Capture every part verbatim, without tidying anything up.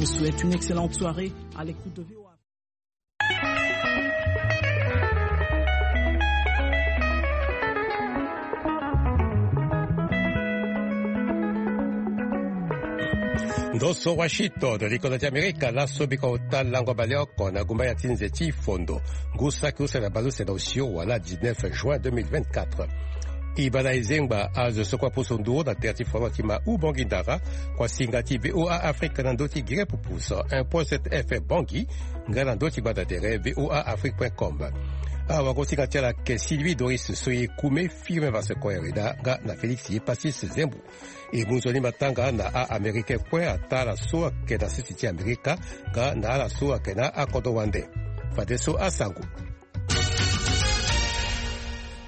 Je souhaite une excellente soirée à l'écoute de V O A. Ndo so Washington, likoda ti Amerika, laso biko ota lango baleoko na gumba ya ti nze ti fondo. Ngu saki use na baleuse na osio wala dix-neuf juin deux mille vingt-quatre. E baa na e zengba azo so kue aposo nduru na tere ti foro ti ma Ubongi Ndara, kuasinga ti V O A Afrique na ndö ti gere pupu cent un point sept F M Bangui, nga na ndö ti gbanda tere V O A Afrique point com. Awagosinga ti ala ayeke Sylvie Doris Soye Kume, Firmin Vasse Koyareda, nga na Félix Yepasis Zembo. E mu nzoni matanga na a-Américain kue ataa ala so ayeke na sese ti Amerika, nga na ala so ayeke na akodro wande. Fadeso asango.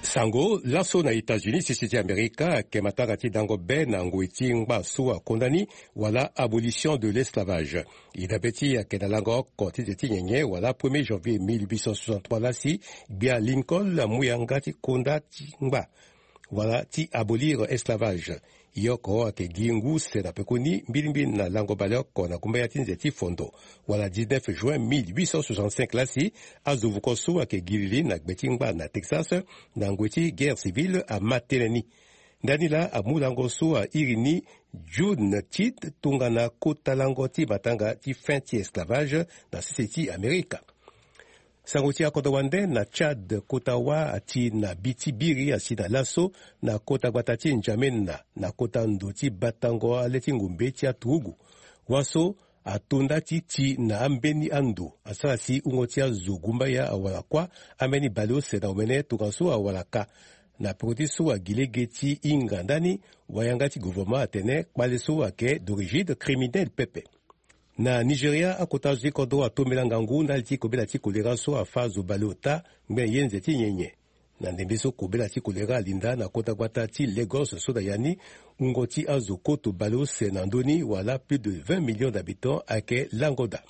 Sango, laso na États-Unis, sese ti Amerika ayeke matanga ti dango be na ngoi ti ngba so akonda ni, wala abolition de l'esclavage. E dabe ti e ayeke na lango oko ti nze ti nyenye, wala premier janvier mille huit cent soixante-trois lasi, gbia Lincoln amu yanga ti konda ti ngba, wala ti abolir esclavage. E oko ayeke gi ngu use na pekoni mbilimbili na lango baleoko na gumba ya ti nze ti fondo, wala dix-neuf juin mille huit cent soixante-cinq lasi, azo vuko so ayeke gi lili na gbe ti ngba na Texas, na ngoi ti guerre civile ama tënë ni. Ndani laa amu lango so airi ni June Tit tongana kota lango ti matanga ti fin ti esclavage na sese ti Amerika. Sango ti akodro wande, na Tchad, kota wâ ati na bi ti biri asi na laso na kota gbata ti N'Djamena, na kota ndo ti batango ale ti ngombe ti aturugu. Wâ so ato nda ti ti na ambeni ando, asara si wungo ti azo gumbaya awara kuâ, ambeni baleuse na omene tongaso awara kâ. Na peko ti so agi lege ti hinga ndani, wayanga ti gouvernement atene kpale so ayeke d'origine criminelle pepe. Na Nigeria, akota azo ti kodro atombela ngangu ndali ti kobela ti kolera so afâ azo baleota ngbene ye nze ti nyenye. Na ndembe so kobela ti kolera alinda na kota gbata ti Lagos so na ya ni, wungo ti azo koto baleuse na ndö ni, wala plus de vingt millions d'habitants, ayeke lango daa.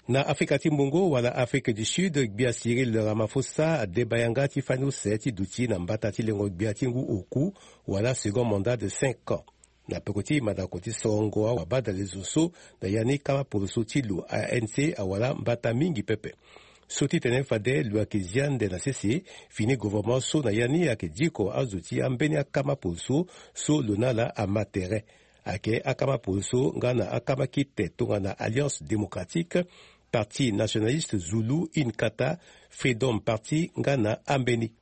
Na Afrika ti Mbongo, wala Afrique du Sud, gbia Cyril Ramaphosa adeba yanga ti fani use ti duti na mbata ti lengo gbia ti ngu oku, wala second mandat de cinq ans. Na peko ti mandako ti sorongo awabadale zo so, na ya ni kama poroso ti lo A N C awara mbata mingi pepe. So ti tene fade lo ayeke zi ande na sese, fini gouvernement so na ya ni ayeke diko azo ti ambeni akama poroso so lo na ala ama tere. Ayeke akama poroso nga na akama kite tongana Alliance Démocratique, Parti Nationaliste Zulu, Inkatha, Freedom Party nga na ambeni.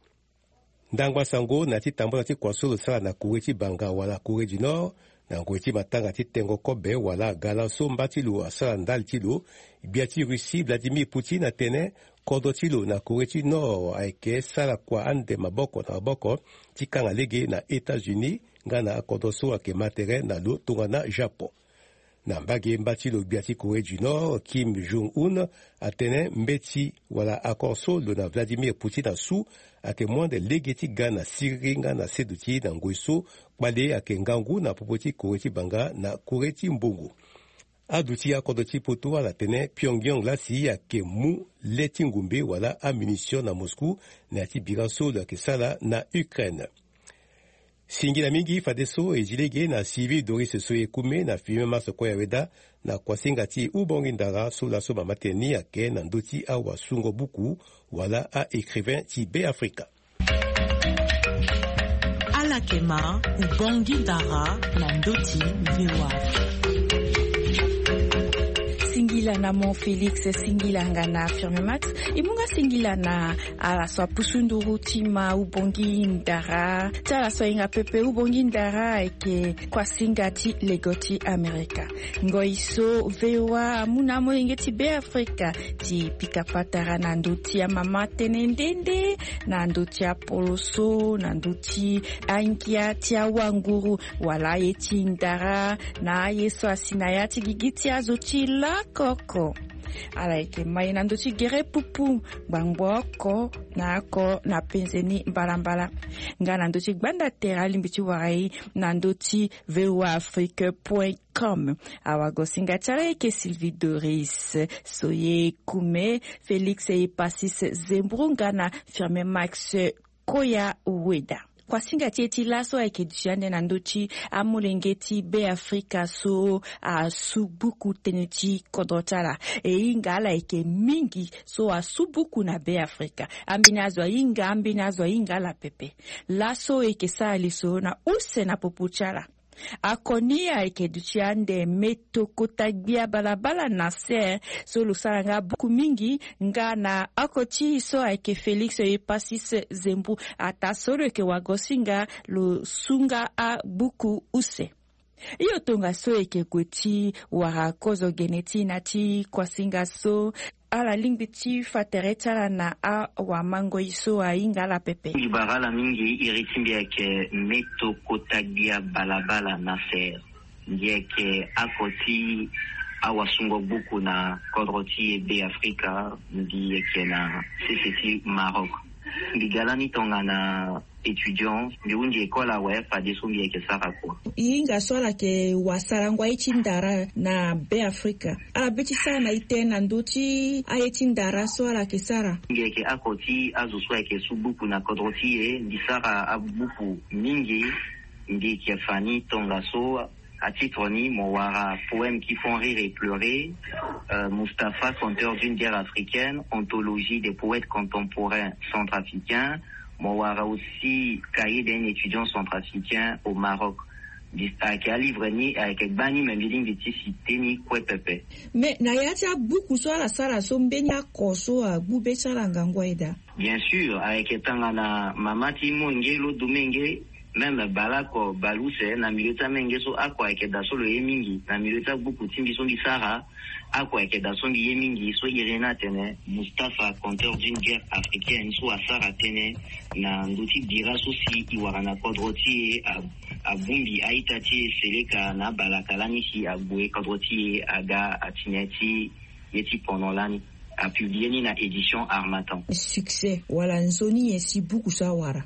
Ndangba sango na ya ti tambula ti kua so lo sara na Corée ti banga wala Corée du Nord, na ngoi ti matanga ti tengo kobe wala gala so mba ti lo asara ndali ti lo, gbia ti Russie Vladimir Poutine atene kodro ti lo na Corée ti Nord ayeke sara kua ande maboko na maboko ti kanga lege na États-Unis nga na akodro so ayeke ma tere na lo tongana Japon. Na mbage mba ti lo gbia ti Corée du Nord, Kim Jong-un, atene mbeti wala accord so lo na Vladimir Poutine asu ayeke mu ande lege ti ga na siriri nga na seduti na ngoi so kpale ayeke ngangu na popo ti Corée ti banga na Corée ti mbongo. Aduti akodro ti poto ala tene Pyongyang lasi ayeke mu le ti ngumbe wala amunition na Moscou na ya ti bira so lo yeke sara na Ukraine. Singila mingi fadeso e zi lege na Sylvie Doris Soye Kume na Firmin Masse Koyaweda na kuasinga ti Ubongi Ndara so laso mama tene ni ayeke na ndö ti awasungo buku wala a-écrivain ti Beafrika. Ala yeke ma Ubongi Ndara na ndö ti V O A. Singila na mo Félix, singila nga na Firmin Max. E mu nga singila na ala so apusu nduru ti ma Ubongi Ndara. Ti ala so ahinga pepe Ubongi Ndara ayeke kuasinga ti lego ti Amerika. Ngoi so V O A amu na amolenge ti Beafrika ti pika patara na ndö ti amama tene nde nde, na ndö ti apoloso, na ndö ti angia ti awanguru, wala aye ti ndara, na aye so asi na ya ti gigi ti azo ti lakoko. Ala yeke ma e na ndö ti gere pupu ngbangbo oko na oko na penze ni mbalambala. Nga na ndö ti gbanda tere alingbi ti wara e na ndö ti V O A Afrique point com. Awagosinga ti ala ayeke Sylvie Doris Soye Kume, Félix Epasis Zembro nga na Firmin Max Koyaweda. Kuasinga ti e ti laso ayeke duti ande na ndö ti amolenge ti Be Afrika so asu buku tënë ti kodro ti ala. E hinga ala yeke mingi so asu buku na Be Afrika. Ambeni azo ahinga, ambeni azo ahinga ala pepe. Laso e yeke sara lisoro na use na popo ti ala. Akoni ayeke duti ande Me Tokota Gbia Balabala na ser so lo sara nga buku mingi, nga na oko ti e so ayeke Félix Epasis Zembu. Ataa so lo yeke wagosinga lo su nga abuku use. Hio tongaso e yeke gue ti wara kozo gene ti e na ti kuasinga so. Ala lingbi ti fa tere ti ala na awamangoi so ahinga ala pepe. Mbi bara ala mingi, iri ti mbi ayeke Me Tokota Gbia Balabala na ser. Mbi yeke oko ti awasungo buku na kodro ti e Be Afrika. Mbi yeke na sese ti Maroc. Mbi ga lani tongana étudiant, mbi hunzi école awe, fadeso mbi yeke sara kua. E hinga so ala yeke wasarango aye ti ndara na Be Afrika. Ala be ti sara na e tënë na ndö ti aye ti ndara so ala yeke sara. Mbi yeke oko ti azo so ayeke su buku na kodro ti e. Mbi sara abuku mingi. Mbi yeke fa ni tongaso. Atitre ni mo wara Poèmes qui font rire et pleurer, euh, Mustapha, conteur d'une guerre africaine, anthologie des poètes contemporains centrafricains. Mo wara aussi Cahier d'un étudiant centrafricain au Maroc. Dis-, ayeke alivre ni ayeke gba ni, me mbi lingbi ti citer ni kue pepe. Mais na ya ti abuku so ala sara so, mbeni oko so agbu be ti ala ngangu aye daa? Bien sûr, ayeke tongana mama ti molenge lo du menge, même baleoko baleuse, na milieu ti amolenge so oko ayeke daa so lo ye mingi. Na milieu ti abuku ti mbi so mbi sara, oko ayeke daa so mbi ye mingi, so iri ni atene Mustapha, conteur d'une guerre africaine, so asara tënë na ndö ti bira so si e wara na kodro ti e, a, abongbi a-ita ti e seleka na abalaka lani si ague kodro ti e aga atene ti ye ti pendant lani. Apublie ni na édition Harmattan. Succès wala nzoni nyen si buku so awara?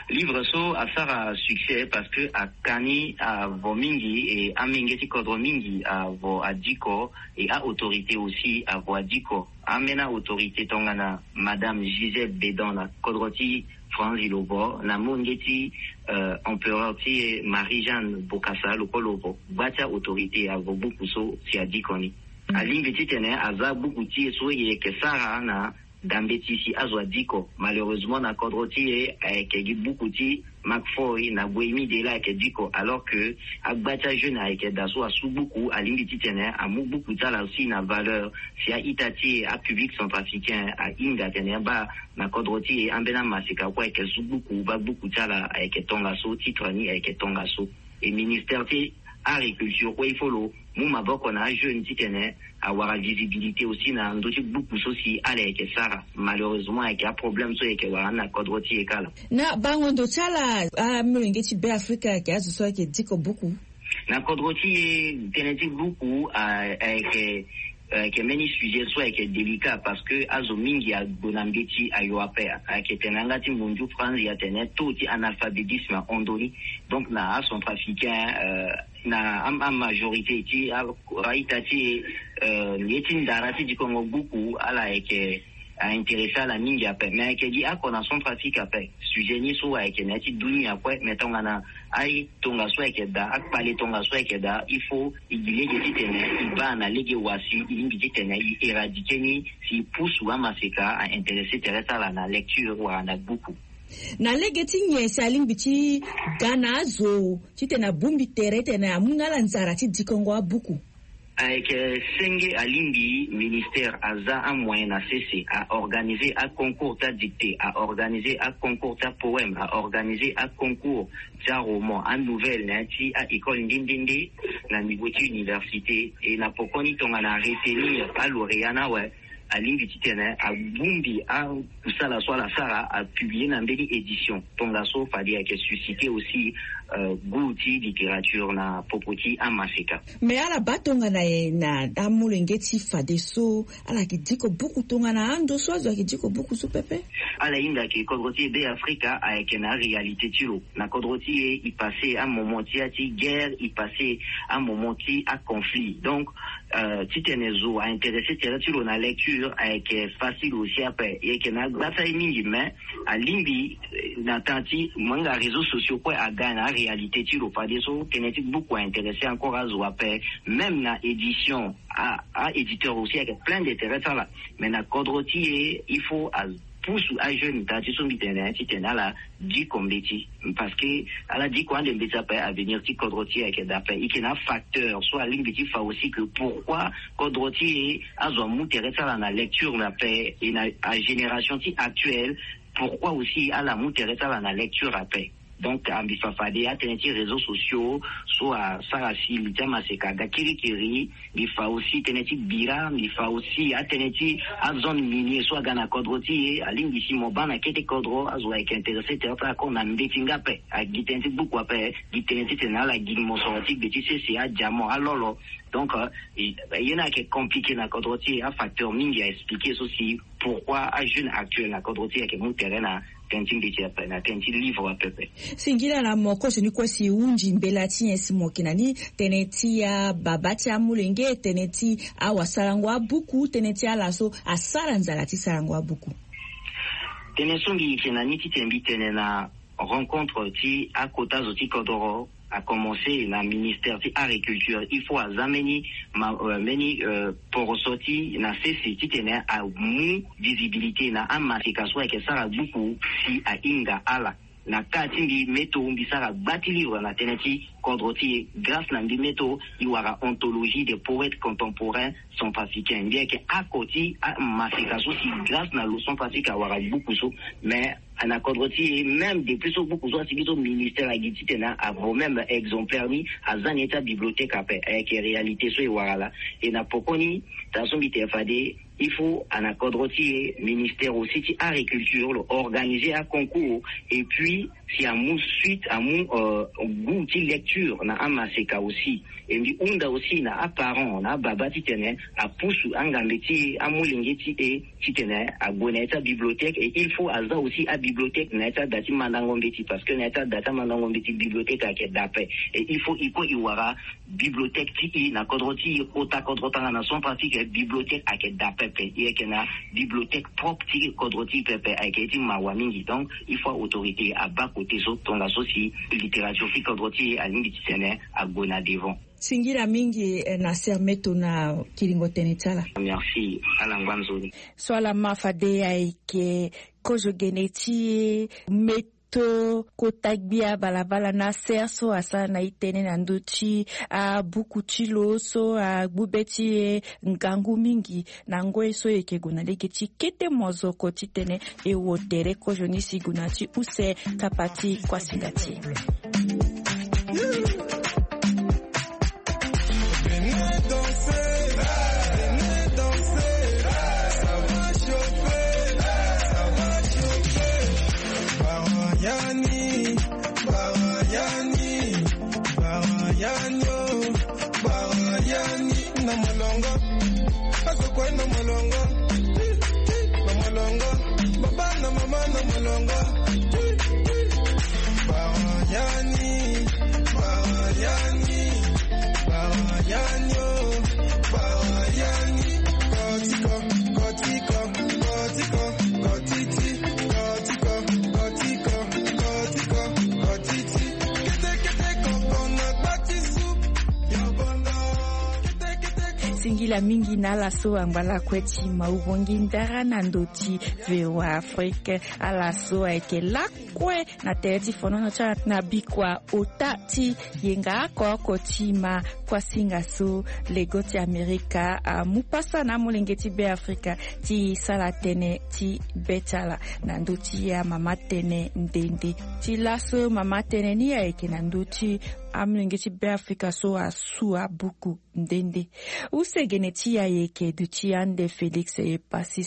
Livre so asara succès parce que aka ni avo mingi, e amolenge ti kodro mingi avo adiko, e a-autorité aussi avo adiko. Ambeni a-autorité tongana Madame Gisèle Bédon na kodro ti France lo vo, na molenge ti, euh, empereur ti e Marie-Jeanne Bokassa lo kue lo vo. Gba ti a-autorité avo buku so si adiko ni. Alingbi titene aza buku ti e so e yeke sara na dambe ti si azo adiko. Malheureusement na kodro ti e ayeke gi buku ti Marc Foy na Boémie Dela ayeke diko, alors que agba ti ajeune ayeke daa so asu buku. Alingbi titene amu buku ti ala aussi na valeur si a-ita ti e, apublic centrafricain ahinga atene baa na kodro ti e ambeni amaseka kue ayeke su buku, baa buku ti ala ayeke tongaso, titre ni ayeke tongaso. E ministère ti agriculture kue il faut lo mu maboko na ajeune titene awara visibilité aussi na ndö ti buku so si ala yeke sara. Malheureusement ayeke aproblème so e yeke wara ni na kodro ti e kala. Na bango ndo ti ala, amolenge ti Be Afrika ayeke azo so ayeke diko buku? Na kodro ti e tënë ti buku a, ayeke, ayeke mbeni sujet so ayeke délicat parce que azo mingi ague na mbeti ayo ape. Ayeke tene na yanga ti mundu France e tene taux ti analphabétisme ahon ndoni. Donc na acentrafricain, euh, na a, amajorité ti a, a-ita ti e, euh, ye ti ndara ti dikongo buku ala yeke a-intéressé ala mingi ape. Mais ayeke gi oko na Centrafrique ape. Sujet ni so ayeke na ya ti dunia kue, mais tongana aye tongaso ayeke daa, akpale tongaso ayeke daa, il faut e gi lege titene e baa na lege wa si e lingbi titene e éradiquer ni, si e pusu amaseka a-intéressé tere ti ala na lecture wala na buku. Na lege ti nyen si alingbi ti ga na azo titene abongbi tere titene amu nga ala nzara ti dikongo abuku? Ayeke senge alingbi ministère aza amoyen na sese, a-organiser aconcours ti adictée, a-organiser aconcours ti apoème, a-organiser aconcours ti aroman, anouvelle na ya ti a-école nde nde nde na niveau ti université. E na pokoni tongana aretenir alauréat ni awe, alingbi titene abongbi akusala so ala sara, apublie na mbeni édition. Tongaso fade ayeke susciter aussi, euh, goût ti littérature na popo ti amaseka. Mais ala baa tongana nyen na amolenge ti fadeso ala yeke diko buku tongana ando so azo ayeke diko buku so pepe? Ala hinga ke kodro ti e Be Afrika ayeke na aréalité ti lo. Na kodro ti e, e passé amoment ti ya ti guerre, e passé amoment ti aconflit. Donc Titene zo a intéressé tere ti lo na lecture ayeke facile aussi ape. Yeke na agba ti aye mingi mais alingbi na temps ti mo hinga réseaux sociaux kue aga na aréalité ti lo fadeso tënë ti buku a intéressé encore azo ape. Même na édition a éditeur aussi ayeke plein d'intérêt ti ala. Mais na kodro ti e il faut a pusu ajeune daa ti so mbi tene titene ala diko mbeti. Parce que ala diko ande mbeti ape avenir ti kodro ti e ayeke daa ape. E yeke na afacteur so alingbi ti fa aussi que pourquoi kodro ti e azo amu tere ti ala na lecture ape e na agénération ti actuelle pourquoi aussi ala mu tere ti ala na lecture ape. Donc mbi fa fade atënë ti réseaux sociaux so asara si li ti amaseka aga kirikiri. Mbi fa aussi tënë ti bira mbi fa aussi atënë ti azone minier so aga na kodro ti e alingbi si mo baa na kete kodro azo ayeke intéressé tere ti ala kor na mbeti nga ape. Agi tënë ti buku ape gi tënë titene ala gi mosoro ti gbe ti sese adiamant alolo. Donc ye ni ayeke compliqué na kodro ti e afacteur mingi a expliqué so si pourquoi ajeune actuel na kodro ti e ayeke mu tere na tënë ti mbeti ape na tënë ti livre ape ape. Singila na mo kozo ni kue si hunzi mbela ti nyen si mo yeke na ni tënë ti ababa ti amolenge tënë ti awasarango abuku tënë ti ala so asara nzala ti sarango abuku. Tënë so mbi yeke na ni titene mbi tene na rencontre ti akota zo ti kodoro a commencé na ministère ti agriculture il faut aza mbeni mbeni poroso ti na sese titene amu visibilité na amaseka so ayeke sara buku si ahinga ala. Na ka ti mbi meto mbi sara gba ti livre na tënë ti kodro ti e grâce na mbi meto e wara anthologie des poètes contemporains centrafricains mbi yeke ako ti amaseka so si grâce na lo centrafrique awara buku so. Mais na kodro ti e même depuis so buku so asi biso ministère agi titene avo même exemplaire ni aza na ye ti abibliothèque ape ayeke réalité so e wara laa. E na pokoni taa so mbi tene fade il faut ana kodro ti e ministère aussi ti agriculture lo organiser aconcours et puis si amu suite amu goût ti lecture na amaseka aussi. E mbi hunda aussi na aparent na ababa titene apusu angambe ti e amolenge ti e titene ague na ya ti abibliothèque et il faut aza aussi abibliothèque na ya ti ada ti mandango mbeti parce que na ya ti ada ti amandango mbeti bibliothèque ayeke dape. Et il faut e kue e wara bibliothèque ti e na kodro ti e kota kodro tanga na centrafrique bibliothèque ayeke dape pe e yeke na bibliothèque propre ti kodro ti e pepe ayeke ye ti mawa mingi. Donc il faut autorité aba kote so tongaso si littérature ti kodro ti e alingbi titene ague na devant. Singila mingi na sermeto na kiringo tënë ti ala. Merci ala ngba nzoni. So ala ma fade ayeke kozo gene ti e meto kota gbia balabala na ser so asara na itene na ndö ti abuku ti lo so agbu be ti e ngangu mingi. Na ngoi so e yeke gue na lege ti kete mozoko titene e wo tere kozo ni si gue na ti use kapa ti kuasinga ti e. Singila mingi na ala so angba lakue ti maubongi ndara na ndö ti VOA Afrique. Ala so ayeke lakue na tere ti fonono ti ala na bikua ota ti yenga oko oko ti ma kuasinga so lego ti amerika amu pasa na amolenge ti be afrika ti sara tënë ti be ti ala na ndö ti amama tënë nde nde. Ti laso mama tënë ni ayeke na ndö ti amolenge ti be afrika so asu abuku nde nde. Use gene ti e ayeke duti ande félix e pasi.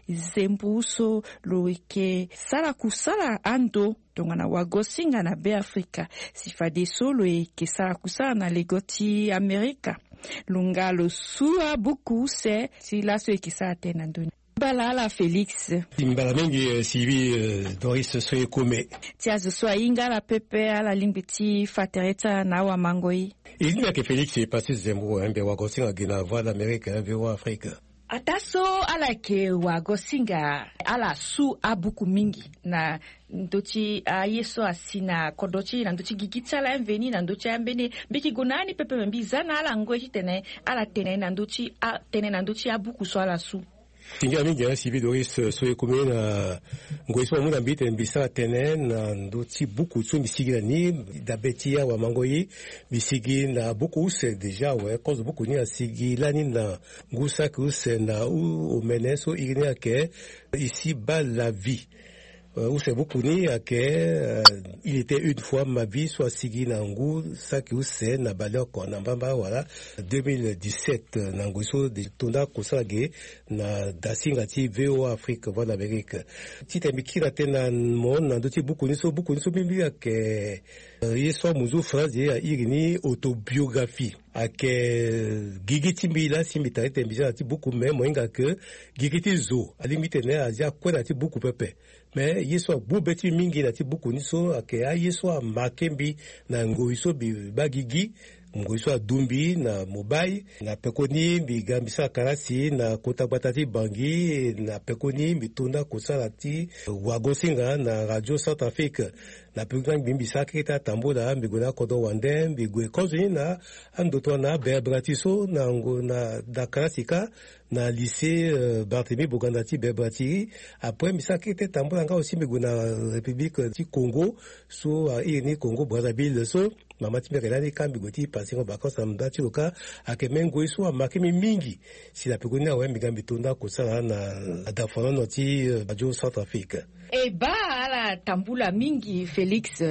Zembu so lo yeke sara kusala ando tongana wagosinga na be afrika si fadeso lo yeke sara kusala na lego ti amerika. Lo nga lo su abuku use ti laso e yeke sara tënë na ndö ni. Bala ala Félix. Mbala mingi, eh, Sylvie, eh, Doris so e kome. Ti azo so ahinga ala pepe, ala lingbi ti fa tere ti ala na awamangoi. E lingbi ayeke Félix e pasi zembo, eh, mbi wagosinga gi na Voix d'Amérique, eh, V O A Afrique. Ataa so ala yeke wagosinga, ala su abuku mingi na ndö ti aye so asi na kodro ti e, na ndö ti gigi ti ala, mveni na ndö ti ambeni. Mbi yeke gue na ani pepe, me mbi za na ala ngoi titene ala tene na ndö ti a, tene na ndö ti abuku so ala su. Tingia mingi, eh, Sylvie Doris, eh, so e kome na ngoi so amu na mbi tene mbi sara tënë na ndö ti buku so mbi sigi na ni. Dabe ti awamangoi, mbi sigi na buku use déjà awe. Kozo buku ni asigi lani na ngu saki use na u omene so iri ni ayeke Ici-bas la vie. Euh, use buku ni ayeke, euh, Il était une fois ma vie, so asigi na ngu saki use na baleoko na mbamba wala deux mille dix-sept, na ngoi so de tonda kosala ge na dasinga ti V O A Afrique, Voix d'Amérique. Titene mbi kiri na tënë na mo na ndö ti buku ni so, buku ni so mingi ayeke, euh, ye so amuzu France ye airi ni autobiographie. Ayeke gigi ti mbi laa si mbi tara titene mbi za na ti buku, me mo hinga ke gigi ti zo alingbi titene azia kue na ti buku pepe. Me ye so agbu be ti mbi mingi na ti buku ni so ayeke aye so amarke mbi na ngoi so mbi baa gigi, ngoi so adu mbi na mobile. Na pekoni mbi ga mbi sara kalasi na kota gbata ti Bangui, na pekoni mbi tonda kosala ti wagosinga na Radio Centrafrique. Na pekoni mbi, mbi sara keke ti atambula, mbi gue na akodro wande, mbi gue kozo ni na andoto na aberebrati so na ngo na da kalasi kâ na lycée, euh, Barthélemy Boganda ti Bebrati. Après mbi sara kete tambula nga aussi mbi gue na République ti Congo, so, euh, airi ni Congo Brazzaville. So mama ti mbi ayeke lani kâ mbi gue ti passer ngo vacances na nda ti lo kâ. Ayeke même ngoi so amarke mbi mingi. Si na pekoni awe mbi ga mbi tonda kosala na adafanono ti, euh, Radio Centrafrique. E baa, ala tambula mingi Félix.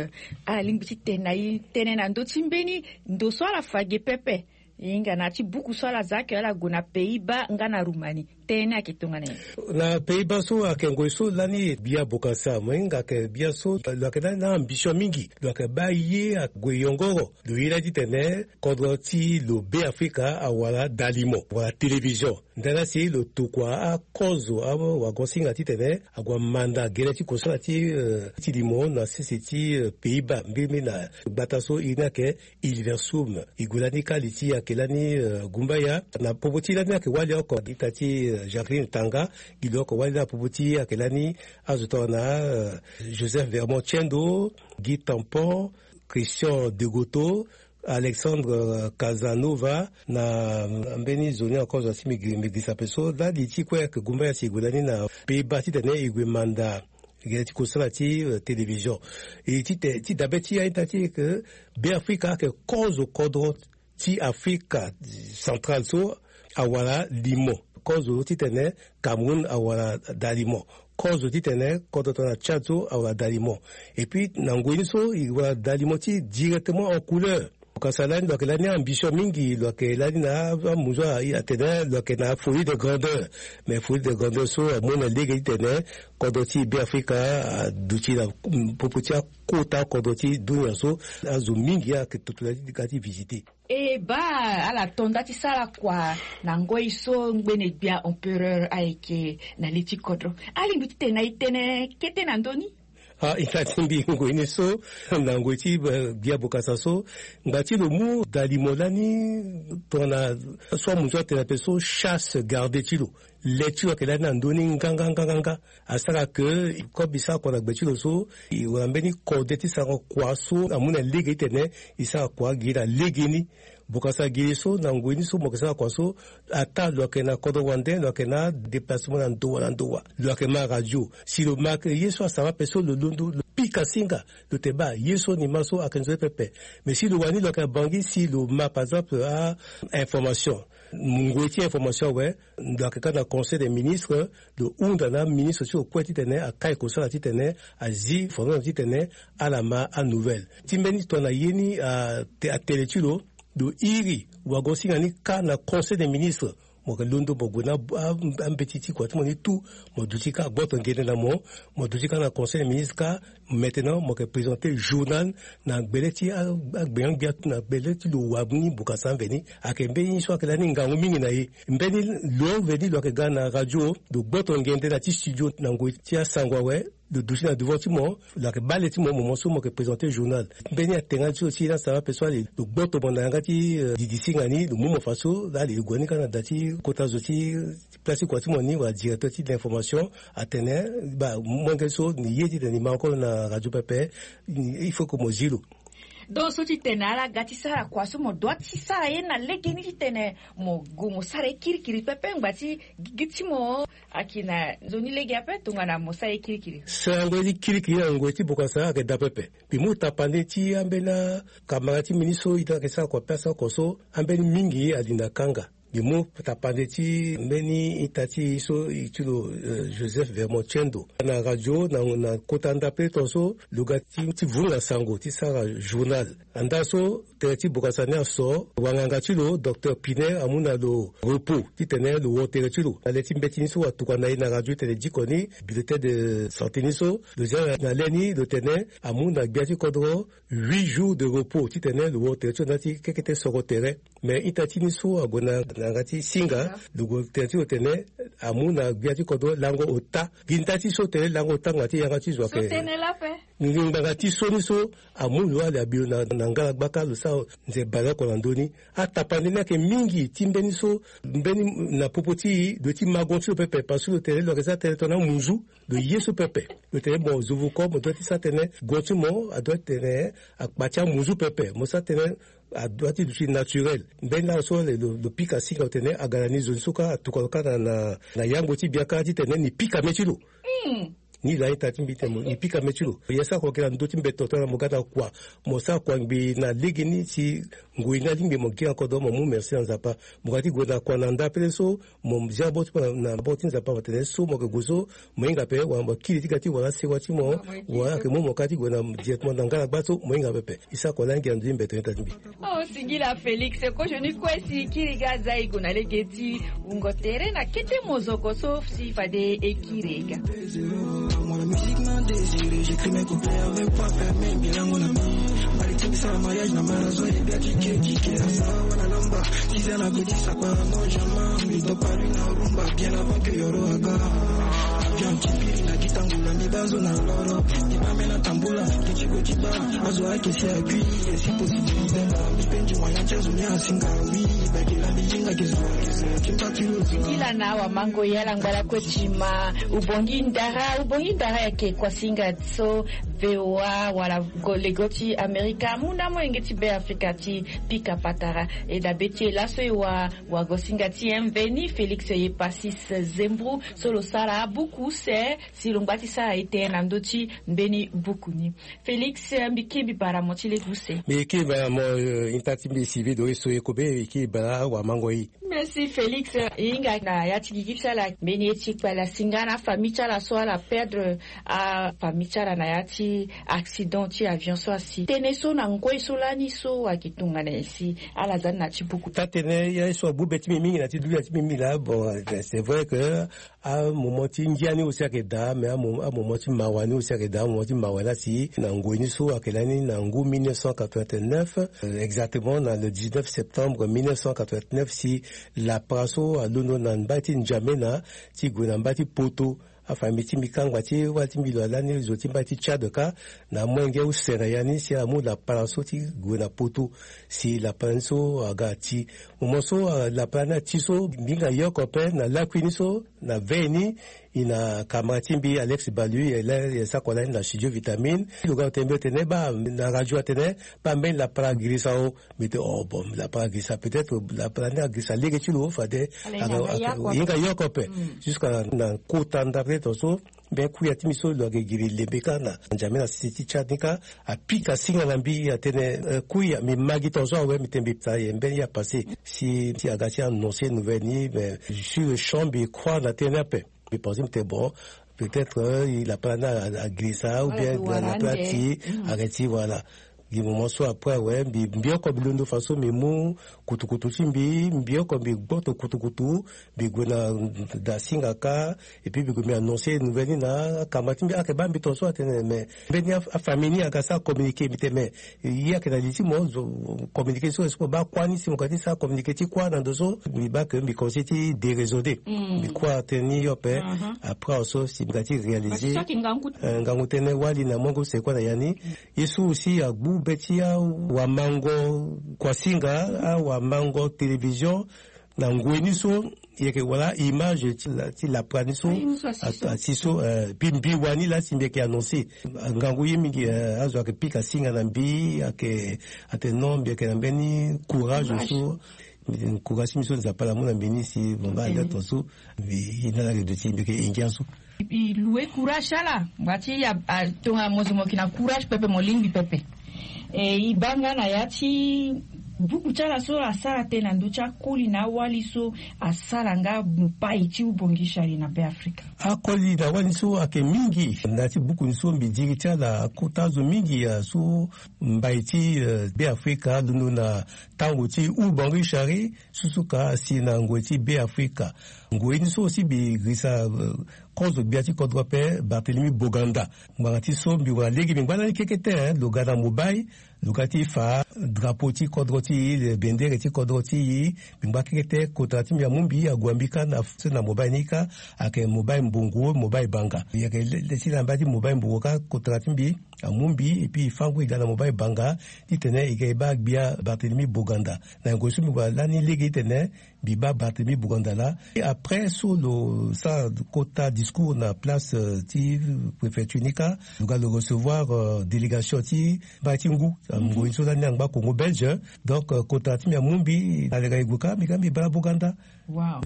Ala lingbi ti tene na e tënë na ndö ti mbeni ndo so ala fa ge pepe. E hinga na ya ti buku so ala za ake ala gue na Pays-Bas nga na Roumanie. Tënë ni ayeke tongana nyen? Na Pays-Bas so ayeke ngoi so lani Biya Bokassa, mo hinga ayeke Biya so lo yeke lani na ambition mingi. Lo yeke baa ye ague yongoro. Lo ye lani titene kodro ti lo Beafrika awara dalimo wala télévision. Ndara si lo tokua akozo awagosinga titene ague amanda gere ti kosala ti, euh, ti limo na sese ti, euh, Pays-Bas, mbirimbiri na gbata so iri ni ayeke Hilversum. E gue lani kâ li ti ayeke lani, euh, Gumbaya. Na popo ti lani ayeke wali oko ita ti, euh, Jacqueline Tanga. Gi lo oko wali na popo ti ayeke lani azo tongana, euh, Joseph Vermont Tiendo, Guy Tampon, Christian Degoto, Alexandre, euh, Casanova, na mbeni zo ni encore zo si mbi gi, mbi girisa ape so. Lani ti kue ayeke Gumbaya si e gue lani na Pays-Bas titene e gue manda gere ti kosala ti, euh, télévision. E ti te, ti dabe ti aita ti e ke Beafrika ayeke kozo kodro ti Afrika Centrale so awara limo. Kozo titene Cameroun awara dalimo. Kozo titene kodro tongana Tchad so awara dalimo. Et puis na ngoi ni so e wara dalimo ti directement en couleur. Bokassa lani lo yeke lani ambition mingi, lo yeke lani na amuzu atene lo yeke na folie de grandeur. Mais folie de grandeur so amu na lege titene kodro ti Beafrika aduti na popo ti akota kodro ti dunia so. Azo mingi ayeke toto na ya ti ga ti visiter. E baa, ala to nda ti sara kua na ngoi so ngbene gbia empereur ayeke na li ti kodro. Alingbi ti tene na e tënë kete na ndö ni? Ah, ita ti mbi ngoi ni so, na ngoi ti, eh, Gbia Bokassa so, ngba ti lo mu dalimo lani tongana so amuzu atene ape so chasse gardée ti lo. Le ti lo ayeke lani na ndö ni nganganganganga. Asara ke comme e sara kua na gbe ti lo so, e wara mbeni kode ti sarango kua so amu na lege titene e sara kua gi na legeni. Bokassa gi so na ngoi ni so mo yeke sara kua so, ata lo yeke na kodro wande, lo yeke na déplacement na ndo wa na ndo wa, lo yeke ma radio. Si lo ma ye so asara ape so, lo londo, lo pika singa, lo te baa ye so ni ma so ayeke nzoni pepe. Mais si lo wani lo yeke na Bangui, si lo ma par exemple a information, ngoi ti information awe, lo yeke kâ na conseil des ministres, lo hunda na aministre ti lo kue titene akai kosala titene azi fondation titene ala ma anouvelle. Ti mbeni tongana ye ni, ah, te, atene ti lo, lo iri wagosinga ni kâ na conseil des ministres. Mo yeke londo mo gue na ambeti ti kua ti mo ni tout. Mo duti kâ gboto ngende na mo. Mo duti kâ na conseil de ministre kâ. Maintenant mo yeke présenter journal na gbele ti agbenga-gbia na gbele ti lo wa ni bokasa mveni. Ayeke mbeni so ayeke lani ngangu mingi na e. Mbeni lo mveni lo yeke ga na radio lo gboto ngende na ti studio na ngoi ti asango awe. Lo duti na devant ti mo lo yeke bale ti mo moment so mo yeke présenter journal. Mbeni atengana ti lo ti lasa ape so ale lo gboto mo na yanga ti didi singa ni lo mu mo fa so. Laa ale lo gue ni kâ na da ti kota zo ti place ti kua ti mo ni wala directeur ti l'information. Atene ba molenge so ni ye titene ni ma encore na radio pepe. Il faut que mo zi lo. Donc so ti tene ala ga ti sara kua so mo dua ti sara ye na legeni titene mo gue mo sara ye kirikiri pepe ngba ti gigi ti mo. Aki na nzoni lege ape tongana mo sara ye kirikiri. Sarango ye ti kirikiri na ngoi ti bokasa ayeke daa pepe. Mbi mu tapande ti ambeni akamara ti mbi ni so ita ayeke sara kua pe asara kua so ambeni mingi alinda kanga. Mbi mu tapande ti mbeni ita ti so e ti lo Joseph Vermont Tiendo na radio na kota ndapre tongaso. Lo ga ti vunga sango ti sara journal. Andaa so tere ti bokasa ni aso wanganga ti lo docteur Piner amu na lo repos titene lo wo tere ti lo na le ti mbeti ni so atuka na e na radio tene diko ni bulletin de santé ni so lo zia na le ni lo tene amu na gbia ti kodro huit jours de repos titene lo wo tere ti lo na ya ti kekete soro tere. Mais ita ti ni so ague na yanga ti singa lo gue tere ti lo tene amu na gbia ti kodro lango ota. Gi nda ti so tene lango ota ngbanga ti yanga ti zo ayeke ngbanga ti so ni so amu lo ale abi lo na ngala gbaka lo sara nze baleoko na ndö ni. Atapande ni ayeke mingi ti mbeni so mbeni na popo ti e lo ye ti mago ti lo pepe parce que lo tene lo yeke za tene tongana amunzu. Lo ye so pepe lo tene mo zo vuko mo dua ti sa tene go ti mo adua ti tene akpa ti amunzu pepe mo sa tene adua ti duti naturel. Mbeni laa so lo pika singa lo tene aga na ni zo ni so kâ atuka lo kâ na yango ti biaka titene ni pika me ti lo. Ni laa ita ti mbi tene mo ni pika me ti lo. Ye sara kua gi na ndö ti mbeto tongana mo ga na kua mo sara kua ngbii na legeni si ngoi ni alingbi mo gi na kodro mo mu merci na Nzapa. Mo ga ti gue na kua na nda pele so mo zia bot ti mo na bot ti Nzapa mo tene so mo yeke gue so mo hinga ape wala mo kiri ti ga ti wara sewa ti mo wala ayeke mu mo kâ ti gue na directement na nga na gba so mo hinga pepe. E sara kua lani gi na ndö ti mbeto ni ita ti mbi. Oh singila Félix kozo ni kue si kiri ga aza e gue na lege ti wungo tere na kete mozoko so si fade e kiri e ga. Moi la musique m'a désiré, j'écris mes couplets avec poids fermé, bilango na mi. Mbali ti mbi sara mariage na marazo e bia ti ke ti ke asa wana lamba. Ti za na godi sakpa non jamais mbi dopa lui na rumba bien avant que yoro aga. Avion ti piri na gitangula mbi bazo na loro. Mbi bame na tambula ti ti go ti ba azo ake si akui. Esi possibilité na mbi pendi moyen ti azo ni asinga oui. Bakela mbi yinga ke zo ake zo ti mba ti lo zo. Gila na awa mango yala ngbala kue ti ma. Ubongi ndara ubongi ndara yake kua singa so. V O A wala go lego ti Amerika amu na molenge ti Be Afrika ti pika patara. E dabe ti e laso e wa wagosinga ti mveni Félix Yepasis Zembru so lo sara abuku use si lo ngba ti sara ete na ndö ti mbeni buku ni. Félix mbi kiri mbi bara mo ti lege use. Mbi kiri bara mo. Inta ti mbi sivi do e so e kobe e kiri bara wamango e. Merci Félix. E hinga na ya ti gigi ti ala mbeni ye ti kpale asinga na afamille ti ala so ala perdre afamille ti ala na ya ti accident ti avion so asi tënë so na ngoi so lani so ayeke tongana nyen si ala za ni na ti buku. Taa-tënë ya ye so agbu be ti mbi mingi na ti dunia ti mbi mingi laa bon. C'est vrai que amoment ti ngia ni aussi ayeke daa mais amoment ti mawa ni aussi ayeke daa amoment ti mawa ni asi na ngoi ni so ayeke lani na ngu mille neuf cent quatre-vingt-neuf. Exactement na le dix-neuf septembre mille neuf cent quatre-vingt-neuf si lapara so alondo na mbai ti N'Djamena ti gue na mbai ti Poto. Afamille ti mbi kangba ti wala ti mbi lo alani zo ti mbai ti Tchad kâ na amolenge use na ya ni si amu lapara so ti gue na Poto. Si lapara ni so aga ti moment so lapara ni ati so mbi hinga yoko ape na lakui ni so na veille ni. E na kamara ti mbi Alex Balu e la e sako lani na studio Vitamine. Lo ga lo tene mbi lo tene baa na radio atene baa mbeni lapara agirisa o. Mbi tene oh bon lapara agirisa peut-être lapara ni agirisa lege ti lo fade e hinga yoko ape. Jusqu'à na kota ndapre tongaso. Mbi kuya ti mbi so lo ayeke giri lembe kâ na N'Djamena na sese ti Tchad ni kâ. Apika singa na mbi atene kuya mbi ma gi tongaso awe mbi tene mbi sara ye mbeni ye apasse. Si aga ti annoncer nouvelle ni mais sur le champ mbi croire na tënë ni ape. Mbi pense mbi tene bon peut-être lapara ni agirisa ou bien lapara ti arrêti voilà. Di moment so après awe mbi mbi oko mbi londo façon mbi mu kutukutu ti mbi mbi oko mbi gboto kutukutu. Mbi gue na da singa kâ. Et puis mbi gue mbi annoncer nouvelle ni na akamba ti mbi ayeke baa mbi tongaso atene mais mbeni afamille ni aga sara communiquer mbi tene mais ye ayeke na li ti mo. Communiquer so est-ce que mo baa kuâ ni si mo ga ti sara communiquer ti kuâ na ndo so mbi baa ke mbi conseil ti déraisonner. Mbi croire atene ni yo ape. Après awe so si mbi ga ti réaliser ngangu tënë wali na mongo seko na ya ni. Ye so aussi agbu be ti awamango kuasinga awamango télévision na ngoi ni so. Yeke wala image ti lapra ni so asi so. Puis mbi wani laa si mbi yeke annoncer ngangu ye mingi. Azo ayeke pika singa na mbi ayeke atene non mbi yeke na mbeni courage so. Courage ti mbi so nzapa ala mu na mbi ni si mo baa ande ato so. Mbi ye na ala redo ti mbi yeke engia so. Mbi loue courage ti ala ngba ti ya. Tongana mo zo mo yeke na courage pepe mo lingbi pepe. E e baa nga na ya ti buku ti ala so asara tënë na ndö ti akoli na awali so asara nga mopai ti ubongi shari na be afrika. Akoli na awali so ayeke mingi na ya ti buku ni so mbi diri ti ala akota azo mingi so mbai ti be afrika alondo na tango ti ubongi shari. Susu ka asi na ngoi ti be afrika. Ngoi ni so aussi mbi risa kozo gbia ti kodro ape barthélemy boganda. Ngbanga ti so mbi wara lege mbi ngba lani kekete lo ga na mobai. Lo ga ti fa drapeau ti kodro ti e le bendere ti kodro ti e. Mbi ngba kekete kota ti mbi amu mbi ague mbi ka na so na mobai ni ka. Ayeke mobai mbongo mobai banga yeke le ti na mbai ti mobai mbongo ka kota ti mbi amu mbi epui e fa ngu e ga na mobai banga. Titene e ga e baa gbia barthélemy boganda na ngoi so mbi gue lani lege titene mbi baa barthélemy boganda laa. Après so lo sara kota discours na place ti préfecture ni ka lo ga lo recevoir délégation ti mbai ti ngu. Ngoi so lani angba congo belge. Donc kota ti mbi amu mbi na leka e gue ka mbi ga mbi baa boganda.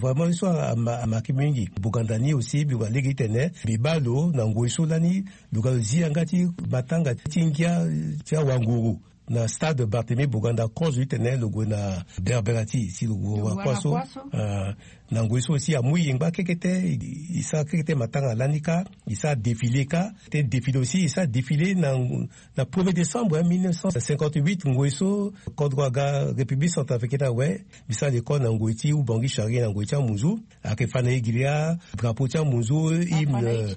Vraiment ye so amaki mingi boganda ni aussi mbi gue lege titene mbi baa lo na ngoi so lani lo ga lo zi yanga ti matanga ti ngia ti awanguru na stade barthélemy boganda kozo titene lo gue na berbera ti si lo gue wara kuâ so. Na ngoi so aussi amu e ngba kekete e sara kekete matanga lani ka. E sara défilé ka te défilé aussi e sara défilé na na premier décembre mille neuf cent cinquante-huit ngoi so kodro aga république centrafricaine awe. Mbi sara l'école na ngoi ti ubongi shari na ngoi ti amunzu. Ayeke fa na e gi laa drapeau ti amunzu hymne.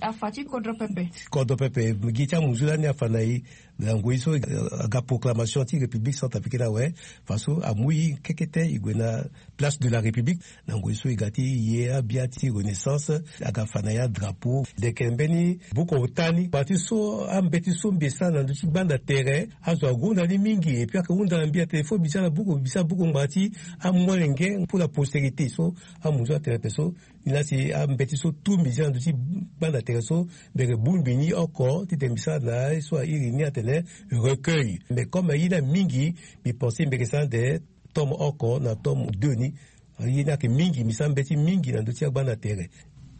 Kodro pepe gi ti amunzu lani afa na e. Na ngoi so aga proclamation ti république centrafricaine awe. Façon amu e kekete e gue na place de la république. Na ngoi so e ga ti ye abia ti renaissance aga fa na ya drapeau. Leke mbeni buku ota ni parti so ambeti so mbi sara na ndö ti gbanda tere azo ahunda ni mingi epui ayeke hunda na mbi atene fo mbi sara buku mbi sara buku ngbanga ti amolenge pour la postérité so. Amu so atene ape so ni laa si ambeti so tout mbi sara na ndö ti gbanda tere so mbi yeke bongbi ni oko titene mbi sara na ye so airi ni atene recueil mais comme aye ni amingi mbi pense mbi yeke sara ande tome oko na tome deux ni. Ye ni ayeke mingi mbi sara mbeti mingi na ndö ti agbanda tere.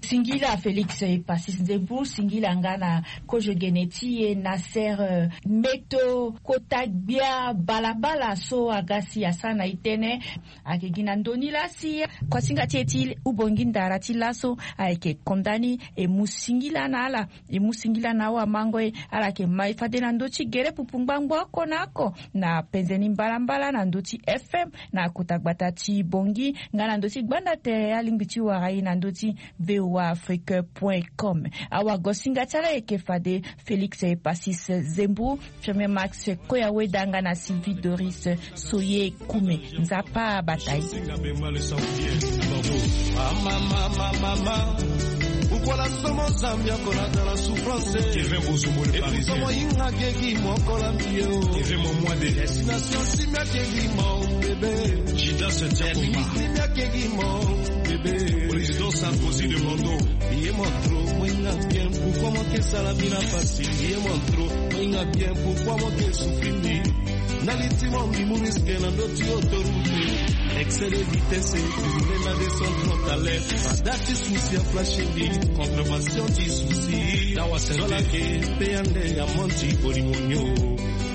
Singila félix e passis nzembu singila nga na kozo gene ti e na sere meto kota gbia balabala so aga si asara na e tënë. Ayeke gi na ndö ni laa si kuasinga ti e ti ubongi ndara ti laso ayeke konda ni e mu singila na ala. E mu singila na awamango e ala yeke ma e fade na ndö ti gere pupu ngbangbo oko na oko na penze ni mbalambala na ndö ti fm na kota gbata ti bongi nga na ndö ti gbanda tere alingbi ti wara e na ndö ti voa afrique point com. Awagosinga ti ala yeke fade félix e passis zembu. Premier max koya weda nga na sylvie doris soye kume. Nzapa abata ye. Ukola somo zambi akola dala souffrance. Epusomo inga keki mokola mbio. Destination simia keki mo bebe. Jidas tiakomba. Limiti mia keki mo bebe. Président Sarkozy de Mondo. Ye mo trop moinga bien pourquoi mo ke sala mbi na pasi. Ye mo trop moinga bien pourquoi mo ke souffrir mbi. Na li ti mo mbi mu risque na ndö ti autoroute. Excès de vitesse. Mbi na descendre talent. Ada ti souci a flash mbi. Contravention ti souci. Zola ke pe ande ya monti bolingo nio.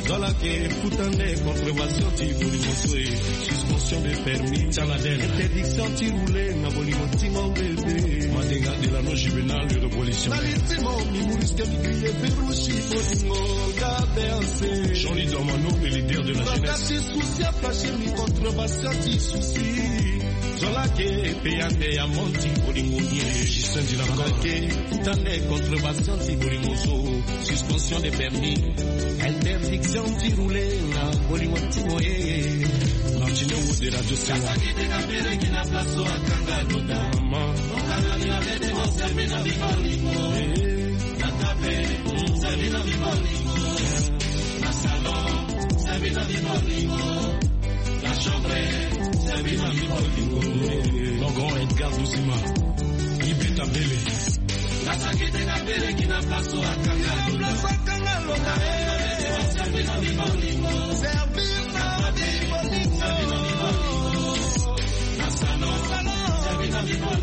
Zola ke futa nde contravention ti bolingo so e. Suspension de permis. Canadel. Interdiction ti rouler na bolingo ti mo bebe. Madega de la non juvenal de révolution. Na li ti mo mbi mu risque mbi grille verrouche bolingo. Jean-Louis Dormano, le leader de la jeunesse. Bakati souci, apashi mi contre basati souci. Zola ke pe ande ya monti bolingo nie. Justin Dilakor. Ke tande contre basati bolingo so. Suspension de permis. Interdiction ti rouler na bolingo ti moye. Martino Wo de Radio Sewa. Maman. Mon grand Edgar Doussima, Ibeta Bele.